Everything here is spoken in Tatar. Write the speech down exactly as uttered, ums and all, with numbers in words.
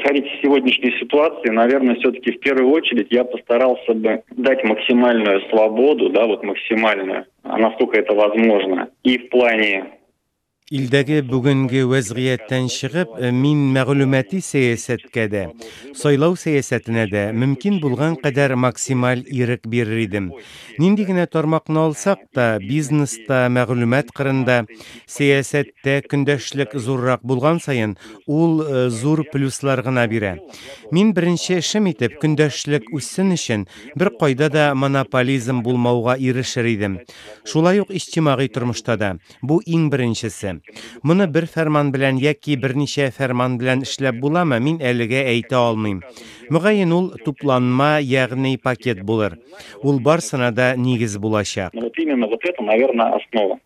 Исходить из сегодняшней ситуации, наверное, все-таки в первую очередь я постарался бы дать максимальную свободу, да, вот максимальную, насколько это возможно, и в плане Илдәге бүгенге вәзгыятьтән чыгып, мин мәгълүмати сәясәткә дә, сайлау сәясәтенә дә мөмкин булган кадәр максималь ирек бирер идем. Нинди генә тармакны алсак та, бизнеста, мәгълүмат кырында, сәясәттә көндәшлек зуррак булган саен, ул э, зур плюслар гына бирә. Мин беренче эшем итеп көндәшлек үссен өчен бер кайда да монополизм булмауга ирешер идем. Шулай ук иҗтимагый тормышта да. Бу иң беренчесе. Моны бер фәрман белән яки берничә фәрман белән эшләп буламы, мин әлегә әйтә алмыйм. Мөгаен ул тупланма, ягъни пакет булыр. Ул барсына да нигез булачак. Но вот именно вот это, наверное, основа.